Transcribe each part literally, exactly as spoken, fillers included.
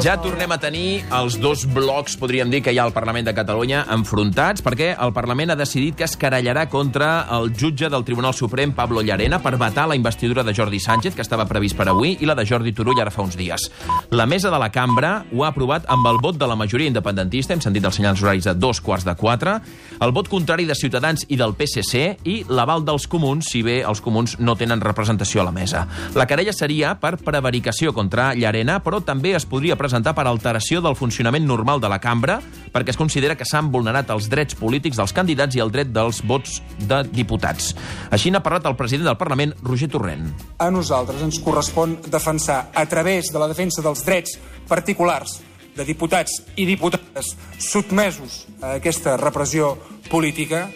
Ja tornem a tenir els dos blocs, podríem dir, que hi ha al Parlament de Catalunya enfrontats, perquè el Parlament ha decidit que es querellarà contra el jutge del Tribunal Suprem, Pablo Llarena, per vetar la investidura de Jordi Sánchez, que estava previst per avui, i la de Jordi Turull ara fa uns dies. La mesa de la cambra ho ha aprovat amb el vot de la majoria independentista, hem sentit els senyals horaris a dos quarts de quatre, el vot contrari de Ciutadans i del P S C i l'aval dels comuns, si bé els comuns no tenen representació a la mesa. La querella seria per prevaricació contra Llarena, però també es podria presentar per alteració del funcionament normal de la cambra, perquè es considera que s'han vulnerat els drets polítics dels candidats i el dret dels vots de diputats. Així n'ha parlat el president del Parlament, Roger Torrent. A nosaltres ens correspon defensar, a través de la defensa dels drets particulars de diputats i diputades sotmesos a aquesta repressió política,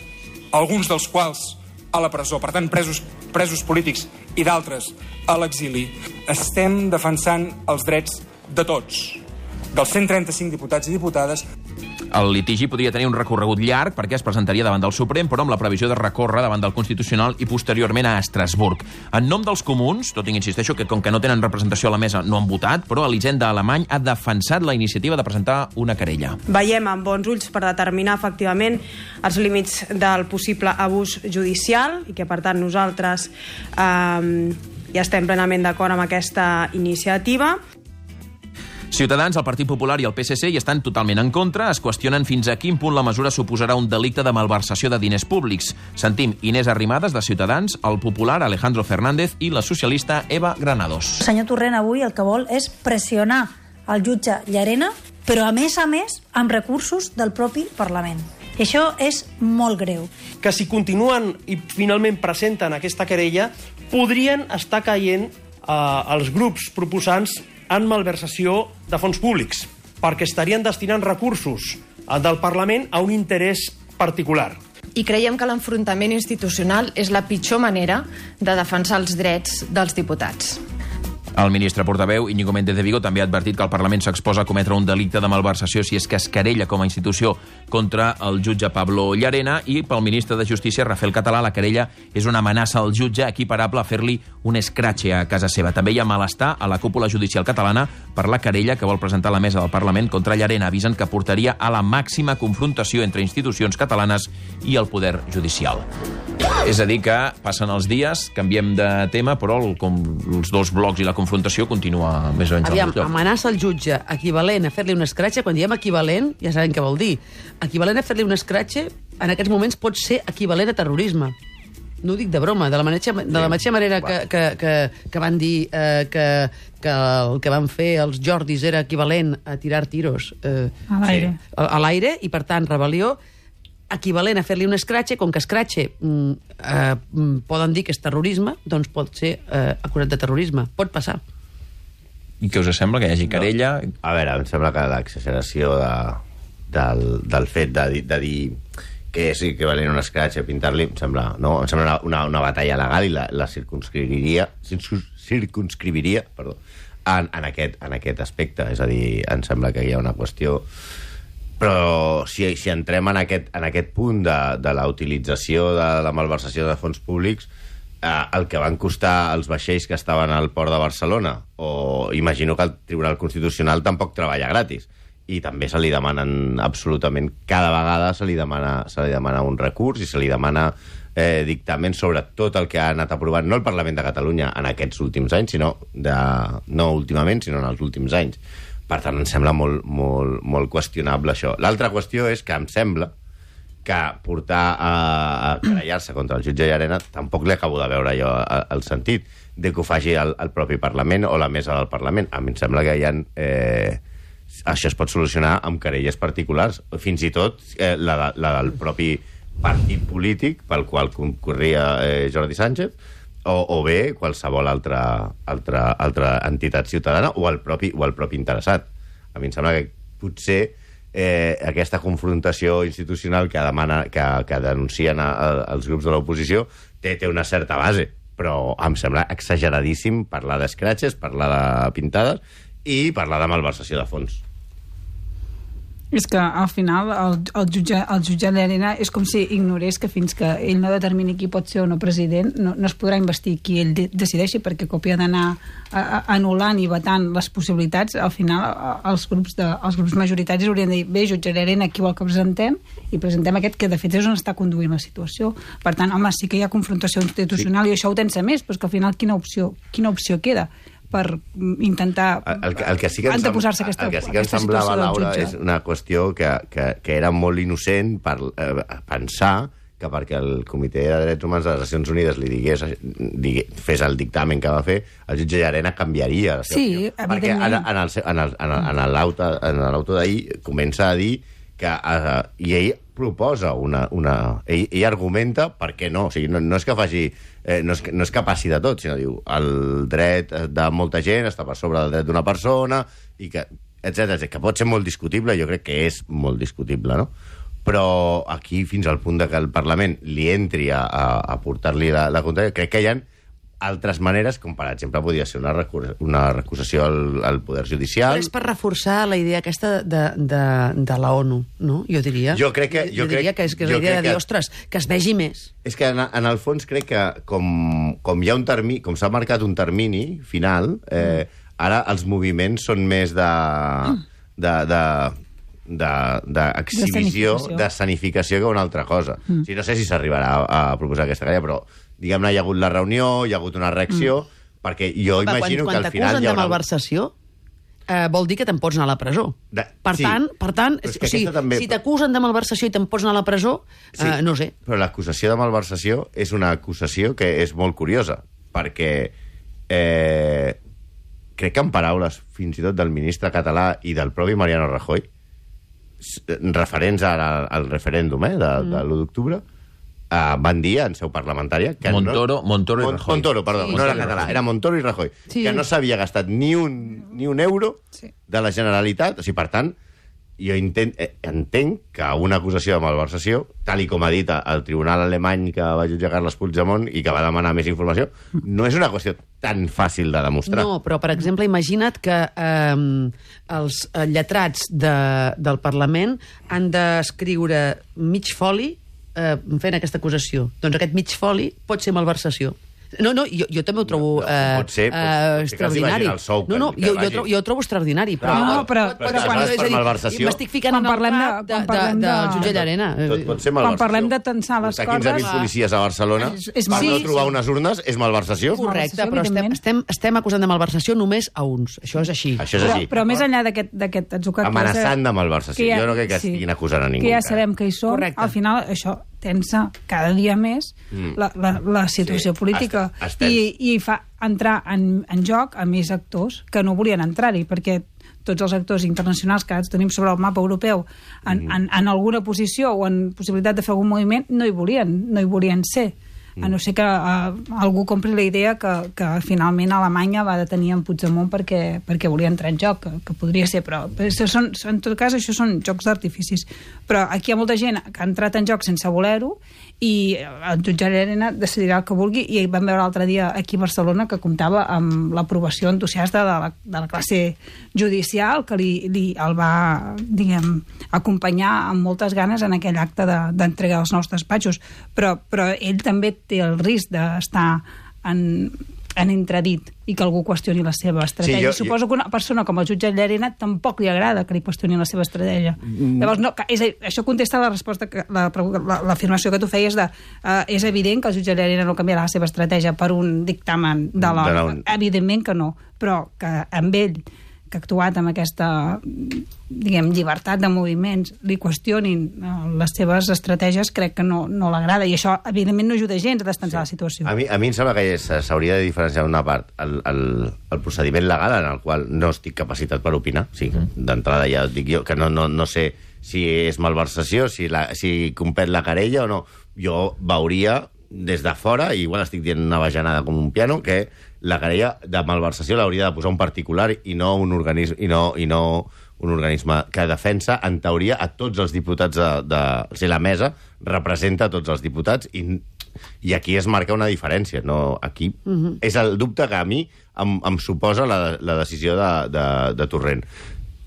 alguns dels quals a la presó, per tant presos, presos polítics i d'altres a l'exili, estem defensant els drets de tots, dels cent trenta-cinc diputats i diputades. El litigi podria tenir un recorregut llarg perquè es presentaria davant del Suprem, però amb la previsió de recórrer davant del Constitucional i posteriorment a Estrasburg. En nom dels comuns, tot i que insisteixo que com que no tenen representació a la mesa no han votat, però Elisenda Alemany ha defensat la iniciativa de presentar una querella. Veiem amb bons ulls per determinar efectivament els límits del possible abús judicial i que per tant nosaltres eh, ja estem plenament d'acord amb aquesta iniciativa. Ciutadans, el Partit Popular i el P S C hi estan totalment en contra. Es qüestionen fins a quin punt la mesura suposarà un delicte de malversació de diners públics. Sentim Inés Arrimadas, de Ciutadans, el popular Alejandro Fernández i la socialista Eva Granados. El senyor Torrent avui el que vol és pressionar el jutge Llarena, però a més a més amb recursos del propi Parlament. I això és molt greu. Que si continuen i finalment presenten aquesta querella, podrien estar caient eh, els grups proposants en malversació de fons públics, perquè estarien destinant recursos del Parlament a un interès particular. I creiem que l'enfrontament institucional és la pitjor manera de defensar els drets dels diputats. El ministre portaveu, Íñigo Méndez de Vigo, també ha advertit que el Parlament s'exposa a cometre un delicte de malversació si és que es querella com a institució contra el jutge Pablo Llarena, i pel ministre de Justícia, Rafael Català, la querella és una amenaça al jutge equiparable a fer-li un escratxe a casa seva. També hi ha malestar a la cúpula judicial catalana per la querella que vol presentar la mesa del Parlament contra Llarena. Avisen que portaria a la màxima confrontació entre institucions catalanes i el poder judicial. És a dir que passen els dies, canviem de tema, però el, com els dos blocs i la confrontació continua més o menys Aviam, al lloc. amenaça el jutge equivalent a fer-li un escratxe. Quan diem equivalent, ja sabem què vol dir. Equivalent a fer-li un escratxe, en aquests moments pot ser equivalent a terrorisme. No ho dic de broma, de la mateixa, de la mateixa manera que, que, que, que van dir eh, que, que el que van fer els Jordis era equivalent a tirar tiros eh, a l'aire. Sí, a, a l'aire, i per tant rebel·lió, equivalent a fer-li un escratxe, com que escratxe mm, eh, poden dir que és terrorisme, doncs pot ser eh, acusat de terrorisme. Pot passar. I què us sembla, que hi hagi querella? No. A veure, em sembla que l'exageració de, del, del fet de, de dir que és equivalent a un escratxe, pintar-li, em sembla, no? Em sembla una, una, una batalla legal i la, la circunscriviria, circunscriviria perdó, en, en, aquest, en aquest aspecte. És a dir, em sembla que hi ha una qüestió. Però si, si entrem en aquest, en aquest punt de, de la utilització de la malversació de fons públics, eh, el que van costar els vaixells que estaven al port de Barcelona, o imagino que el Tribunal Constitucional tampoc treballa gratis, i també se li demanen absolutament, cada vegada se li demana, se li demana un recurs i se li demana eh, dictamen sobre tot el que ha anat aprovant, no el Parlament de Catalunya en aquests últims anys, sinó de, no últimament, sinó en els últims anys. Per tant, em sembla molt, molt, molt qüestionable això. L'altra qüestió és que em sembla que portar a, a querellar-se contra el jutge Llarena tampoc li acabo de veure jo el sentit de que ho faci el, el propi Parlament o la mesa del Parlament. A mi em sembla que hi ha... Eh, això es pot solucionar amb querelles particulars, fins i tot eh, la, de, la del propi partit polític pel qual concorria eh, Jordi Sánchez, o, o bé qualsevol altra, altra, altra entitat ciutadana o el, propi, o el propi interessat. A mi em sembla que potser eh, aquesta confrontació institucional que, demana, que, que denuncien a, a, els grups de l'oposició té, té una certa base, però em sembla exageradíssim parlar d'escratxes, parlar de pintades i parlar de malversació de fons. És que al final el, el, jutge, el jutge Llarena és com si ignorés que fins que ell no determini qui pot ser o no president no, no es podrà investir qui ell de, decideixi, perquè copia d'anar anul·lant i vetant les possibilitats. Al final els grups, de, els grups majoritaris haurien de dir, bé, jutge Llarena, qui vol que presentem? I presentem aquest que de fet és on està conduint la situació. Per tant, home, sí que hi ha confrontació institucional sí. i això ho tensa més, però és que al final quina opció, quina opció queda per intentar el, el que sí que anteposar-se aquesta, el que sí que ens semblava, Laura, és una qüestió que, que, que era molt innocent per eh, pensar que perquè el Comitè de Drets Humans de les Nacions Unides li digués, digués fes el dictamen que va fer, el jutge Llarena canviaria la seva sí, opinió. Perquè en, en, el, en, el, en, el, en l'auto en l'auto d'ahir comença a dir que eh, i ell proposa una... una ell, ell argumenta per què no. O sigui, no, no és que faci... Eh, no, és, no és que passi de tot, sinó diu el dret de molta gent està per sobre del dret d'una persona, i que, etcètera, que pot ser molt discutible, jo crec que és molt discutible, no? Però aquí, fins al punt de que el Parlament li entri a, a, a portar-li la, la contrària, crec que hi ha altres maneres, com per exemple podria ser una, recur una recusació al, al Poder Judicial. Però és per reforçar la idea aquesta de, de, de la ONU, no? Jo diria. Jo crec que... Jo, jo diria crec, que és, que és la idea de dir, que, ostres, que es vegi més. És que en, en el fons crec que com, com hi ha un termini, com s'ha marcat un termini final, eh, ara els moviments són més de... de, de d'exhibició, de, de d'escenificació que una altra cosa. Mm. O sigui, no sé si s'arribarà a, a proposar aquesta querella, però diguem-ne, hi ha hagut la reunió, hi ha hagut una reacció, mm. perquè jo Va, imagino quan, que al final quan hi haurà... de malversació, eh, vol dir que te'n pots anar a la presó. De... Per, sí. tant, per tant, o sigui, també... si t'acusen de malversació i te'n pots anar a la presó, sí, eh, no sé. Però l'acusació de malversació és una acusació que és molt curiosa, perquè eh, crec que en paraules fins i tot del ministre català i del propi Mariano Rajoy, referents al, al referèndum eh, de, mm. de l'u d'octubre, uh, van dir en seu parlamentària que Montoro, no, Montoro i Mon, Rajoy. Montoro, perdó, sí, no era català, era Montoro i Rajoy, sí. que no s'havia gastat ni un, ni un euro sí. de la Generalitat. O sigui, per tant, jo intent, eh, entenc que una acusació de malversació, tal i com ha dit el tribunal alemany que va jutjar Carles Puigdemont i que va demanar més informació, no és una qüestió tan fàcil de demostrar. No, però, per exemple, imagina't que eh, els lletrats de, del Parlament han d'escriure mig foli eh, fent aquesta acusació. Doncs aquest mig foli pot ser malversació. No, no, jo, jo també ho trobo no, no, eh, pot ser, pot, uh, extraordinari. No, no, jo, jo, trobo, jo ho trobo extraordinari. Però, no, no, però, però, però quan, és a dir, m'estic ficant en el parlem de, cap de, de, de, del jutge Llarena. Tot pot ser malversació. Quan parlem de tensar les coses... quinze mil policies a Barcelona és, és per no trobar unes urnes és malversació. Correcte, però estem, estem, estem acusant de malversació només a uns. Això és així. Això és així. Però, però més enllà d'aquest atzucat... Amenaçant de malversació. Jo no crec que estiguin acusant a ningú. Que ja sabem que hi són. Al final, això tensa cada dia més mm. la, la, la situació sí. política i, i fa entrar en, en joc a més actors que no volien entrar-hi, perquè tots els actors internacionals que tenim sobre el mapa europeu en, mm. en, en alguna posició o en possibilitat de fer algun moviment no hi volien, no hi volien ser. A no ser que uh, algú compri la idea que, que finalment Alemanya va detenir en Puigdemont perquè, perquè volia entrar en joc, que, que podria ser, però, però són, en tot cas això són jocs d'artificis. Però aquí hi ha molta gent que ha entrat en joc sense voler-ho i el jutge Llarena decidirà el que vulgui, i vam veure l'altre dia aquí a Barcelona que comptava amb l'aprovació entusiasta de la, de la classe judicial que li, li el va, diguem, acompanyar amb moltes ganes en aquell acte d'entrega de, dels nous despatxos, però, però ell també té el risc d'estar en, en entredit i que algú qüestioni la seva estratègia. Sí, jo, Suposo jo... que una persona com el jutge Llarena tampoc li agrada que li qüestionin la seva estratègia. Mm. Llavors, no, és, això contesta la resposta, que, la, l'afirmació que tu feies de uh, és evident que el jutge Llarena no canviarà la seva estratègia per un dictamen de l'ONU. Un... Evidentment que no, però que amb ell que ha actuat amb aquesta, diguem, llibertat de moviments, li qüestionin les seves estratègies, crec que no, no l'agrada. I això, evidentment, no ajuda gens a destensar sí. la situació. A mi, a mi em sembla que s'hauria de diferenciar una part, el, el, el procediment legal en el qual no estic capacitat per opinar. O sigui, mm. d'entrada ja dic jo que no, no, no sé si és malversació, si, la, si compet la querella o no. Jo veuria des de fora, i igual estic dient una bajanada com un piano, que la querella de malversació l'hauria de posar un particular i no un organisme, i no, i no un organisme que defensa, en teoria, a tots els diputats de... de o sigui, la mesa representa a tots els diputats i, i aquí es marca una diferència. No, aquí uh-huh. és el dubte que a mi em, em suposa la, la decisió de, de, de Torrent.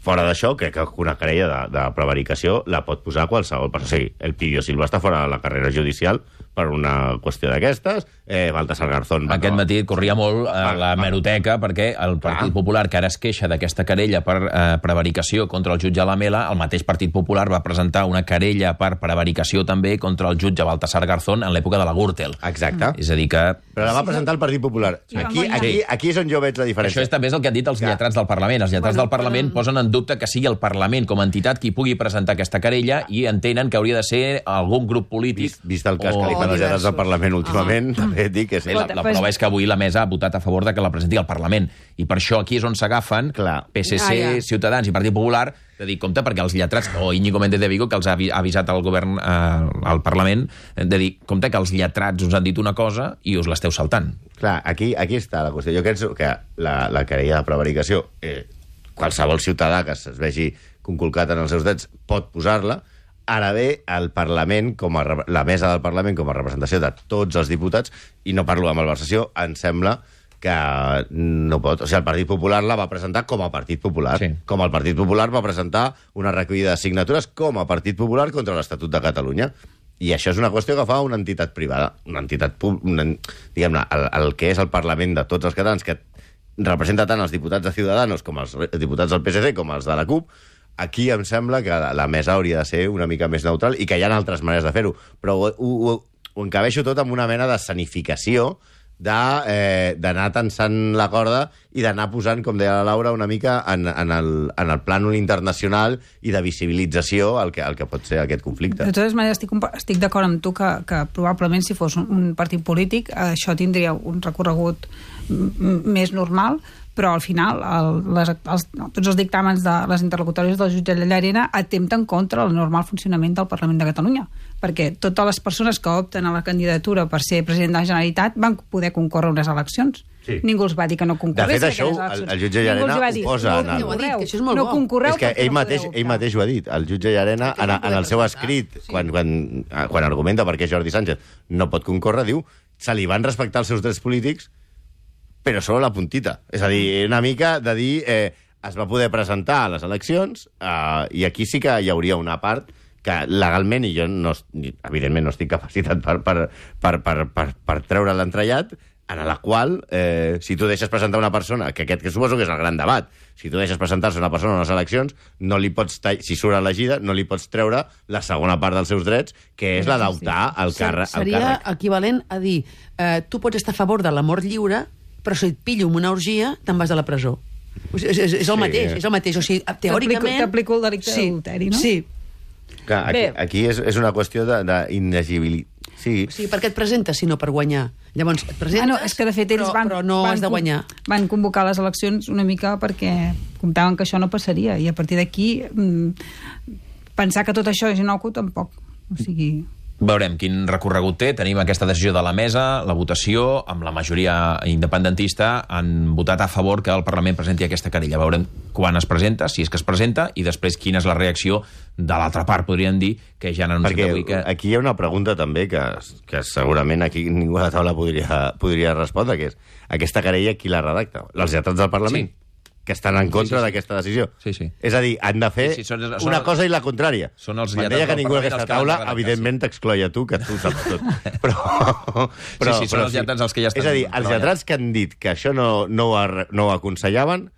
fora d'això, crec que una querella de, de prevaricació la pot posar qualsevol persona. O sigui, el Pidio Silva està fora de la carrera judicial per una qüestió d'aquestes, eh, Baltasar Garzón... Aquest no... matí corria molt a la hemeroteca perquè el Partit Clar. Popular, que ara es queixa d'aquesta querella per eh, prevaricació contra el jutge Lamela, el mateix Partit Popular va presentar una querella per prevaricació també contra el jutge Baltasar Garzón en l'època de la Gürtel. Exacte. És a dir que... Però la va presentar el Partit Popular. Aquí, aquí, aquí és on jo veig la diferència. Això és també és el que han dit els Clar. lletrats del Parlament. Els lletrats bueno, del Parlament però... posen en dubte que sigui el Parlament com a entitat qui pugui presentar aquesta querella i entenen que hauria de ser algun grup polític... Vist, vist el cas o... que li fan els lletrats del Parlament últimament, ah. també et dic que sí. La, la prova és que avui la mesa ha votat a favor de que la presenti al Parlament. I per això aquí és on s'agafen P S C, ah, ja. Ciutadans i Partit Popular de dir, compte, perquè els lletrats, o Íñigo Méndez de Vigo, que els ha avisat al govern, eh, al Parlament, de dir, compte, que els lletrats us han dit una cosa i us l'esteu saltant. Clar, aquí, aquí està la qüestió. Jo crec que la, la querella de prevaricació, eh, qualsevol ciutadà que es vegi conculcat en els seus drets pot posar-la. Ara bé, el Parlament, com a, la mesa del Parlament com a representació de tots els diputats, i no parlo de malversació, em sembla que no pot... O sigui, el Partit Popular la va presentar com a Partit Popular. Sí. Com el Partit Popular va presentar una recollida de signatures com a Partit Popular contra l'Estatut de Catalunya. I això és una qüestió que fa una entitat privada, una entitat pública, diguem-ne, el, el que és el Parlament de tots els catalans, que representa tant els diputats de Ciudadanos com els diputats del P S C com els de la CUP. Aquí em sembla que la mesa hauria de ser una mica més neutral i que hi ha altres maneres de fer-ho, però ho, ho, ho encabeixo tot amb una mena de sanificació d'anar eh, tensant la corda i d'anar posant, com deia la Laura, una mica en, en, el, en el plànol internacional i de visibilització el que, el que pot ser aquest conflicte. De totes maneres, estic, estic d'acord amb tu que, que probablement si fos un, un partit polític això tindria un recorregut més normal, però al final el, les, els, no, tots els dictàmens de les interlocutòries del jutge Llarena atempten contra el normal funcionament del Parlament de Catalunya, perquè totes les persones que opten a la candidatura per ser president de la Generalitat van poder concórrer unes eleccions. Sí. Ningú els va dir que no concorrés. De fet, això el, el jutge Llarena ho posa en el... No, no, això és molt no concorreu, és que ell mateix, ell mateix ho ha dit. El jutge Llarena, en, en el seu escrit, sí. quan, quan, quan argumenta per què Jordi Sánchez no pot concórrer, diu se li van respectar els seus drets polítics però solo la puntita. És a dir, una mica de dir eh, es va poder presentar a les eleccions eh, i aquí sí que hi hauria una part que legalment, i jo no, evidentment no estic capacitat per, per, per, per, per, per treure l'entrellat, en la qual, eh, si tu deixes presentar una persona, que aquest que suposo que és el gran debat, si tu deixes presentar-se una persona a les eleccions, no li pots si surt elegida, no li pots treure la segona part dels seus drets, que és la d'optar al càrrec. Seria equivalent a dir, eh, tu pots estar a favor de la mort lliure, però si et pillo amb una orgia, te'n vas a la presó. O sigui, és, és, és el mateix, sí. és el mateix. O sigui, teòricament... T'aplico el delicte sí, d'adulteri, no? Sí. Clar, aquí, aquí és, és una qüestió d'inelegibilitat. Sí. O sigui, per què et presentes si no per guanyar? Llavors, et presentes, ah, no, és que de fet ells però, van, però no van, has de guanyar. Van convocar les eleccions una mica perquè comptaven que això no passaria, i a partir d'aquí mmm, pensar que tot això és inocu tampoc. O sigui... Veurem quin recorregut té. Tenim aquesta decisió de la mesa, la votació, amb la majoria independentista han votat a favor que el Parlament presenti aquesta querella. Veurem quan es presenta, si és que es presenta, i després quina és la reacció de l'altra part, podríem dir, que ja han anunciat avui que... Aquí hi ha una pregunta també que, que segurament aquí ningú a la taula podria, podria respondre, que és aquesta querella qui la redacta? Els lletrats del Parlament? Sí. Que estan en contra sí, sí, sí. d'aquesta decisió. Sí, sí. És a dir, han de fer sí, sí, són, són una els, cosa i la contrària. Són els Quan deia que ningú d'aquesta taula, evidentment sí. t'excloia tu, que tu saps tot. Però, però, sí, sí, són però, els lletrats els que ja estan... És a dir, els lletrats que han dit que això no, no, ho, no ho aconsellaven,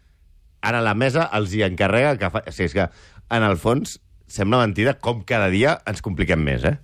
ara la mesa els hi encarrega que fa... O sigui, és que, en el fons, sembla mentida com cada dia ens compliquem més, eh?